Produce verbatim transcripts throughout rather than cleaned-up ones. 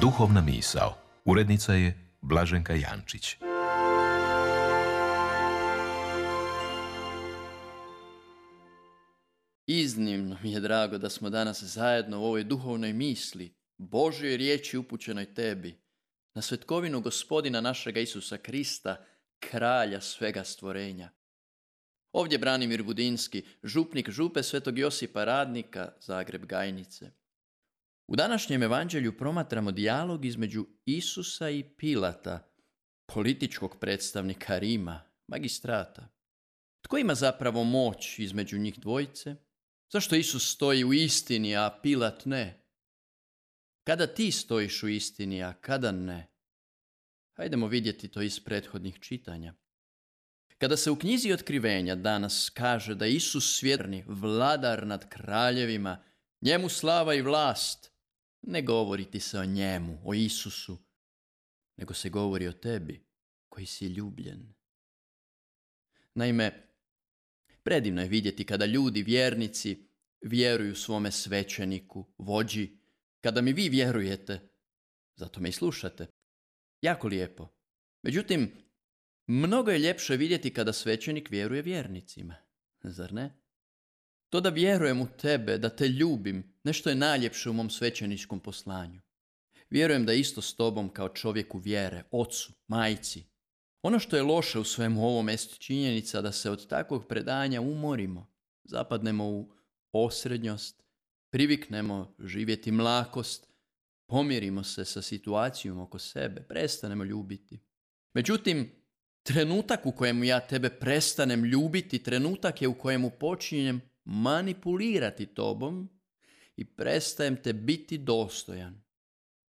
Duhovna misao. Urednica je Blaženka Jančić. Iznimno mi je drago da smo danas zajedno u ovoj duhovnoj misli, Božjoj riječi upućenoj tebi, na svetkovinu Gospodina našega Isusa Krista, kralja svega stvorenja. Ovdje Branimir Budinski, župnik župe Svetog Josipa Radnika, Zagreb Gajnice. U današnjem evanđelju promatramo dijalog između Isusa i Pilata, političkog predstavnika Rima, magistrata. Tko ima zapravo moć između njih dvojice? Zašto Isus stoji u istini, a Pilat ne? Kada ti stojiš u istini, a kada ne? Hajdemo vidjeti to iz prethodnih čitanja. Kada se u knjizi Otkrivenja danas kaže da Isus svjetlosni vladar nad kraljevima, njemu slava i vlast, ne govori ti se o njemu, o Isusu, nego se govori o tebi koji si ljubljen. Naime, predivno je vidjeti kada ljudi, vjernici, vjeruju svome svećeniku, vođi, kada mi vi vjerujete, zato me i slušate. Jako lijepo. Međutim, mnogo je ljepše vidjeti kada svećenik vjeruje vjernicima, zar ne? To da vjerujem u tebe, da te ljubim, nešto je najljepše u mom svećeničkom poslanju. Vjerujem da isto s tobom kao čovjeku vjere, ocu, majci. Ono što je loše u svemu ovom jest činjenica da se od takvog predanja umorimo, zapadnemo u osrednjost, priviknemo živjeti mlakost, pomirimo se sa situacijom oko sebe, prestanemo ljubiti. Međutim, trenutak u kojemu ja tebe prestanem ljubiti, trenutak je u kojemu počinjem manipulirati tobom i prestajem te biti dostojan.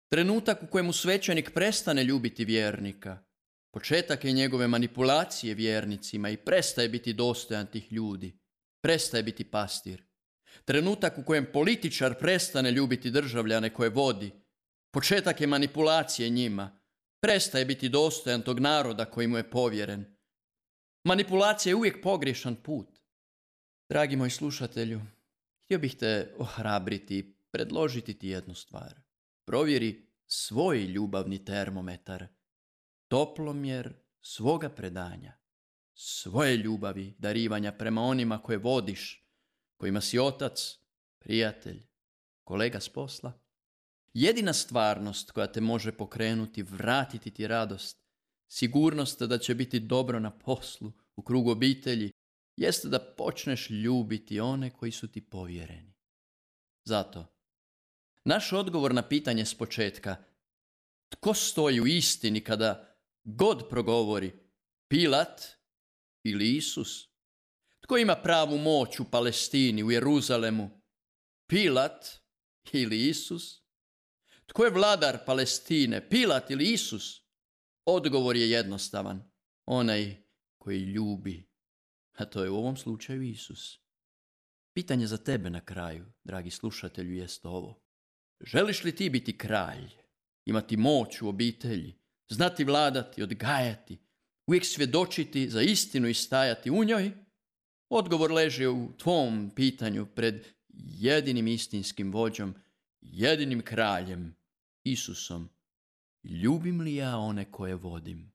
Trenutak u kojemu svećenik prestane ljubiti vjernika, početak je njegove manipulacije vjernicima i prestaje biti dostojan tih ljudi, prestaje biti pastir. Trenutak u kojem političar prestane ljubiti državljane koje vodi, početak je manipulacije njima, prestaje biti dostojan tog naroda koji mu je povjeren. Manipulacija je uvijek pogrešan put. Dragi moj slušatelju, htio bih te ohrabriti i predložiti ti jednu stvar. Provjeri svoj ljubavni termometar, toplomjer svoga predanja, svoje ljubavi, darivanja prema onima koje vodiš, kojima si otac, prijatelj, kolega s posla. Jedina stvarnost koja te može pokrenuti, vratiti ti radost, sigurnost da će biti dobro na poslu, u krugu obitelji, jeste da počneš ljubiti one koji su ti povjereni. Zato, naš odgovor na pitanje s početka, tko stoji u istini kada god progovori, Pilat ili Isus? Tko ima pravu moć u Palestini, u Jeruzalemu? Pilat ili Isus? Tko je vladar Palestine, Pilat ili Isus? Odgovor je jednostavan, onaj koji ljubi, a to je u ovom slučaju Isus. Pitanje za tebe na kraju, dragi slušatelju, jest ovo. Želiš li ti biti kralj, imati moć u obitelji, znati vladati, odgajati, uvijek svjedočiti za istinu i stajati u njoj? Odgovor leži u tvom pitanju pred jedinim istinskim vođom, jedinim kraljem, Isusom. Ljubim li ja one koje vodim?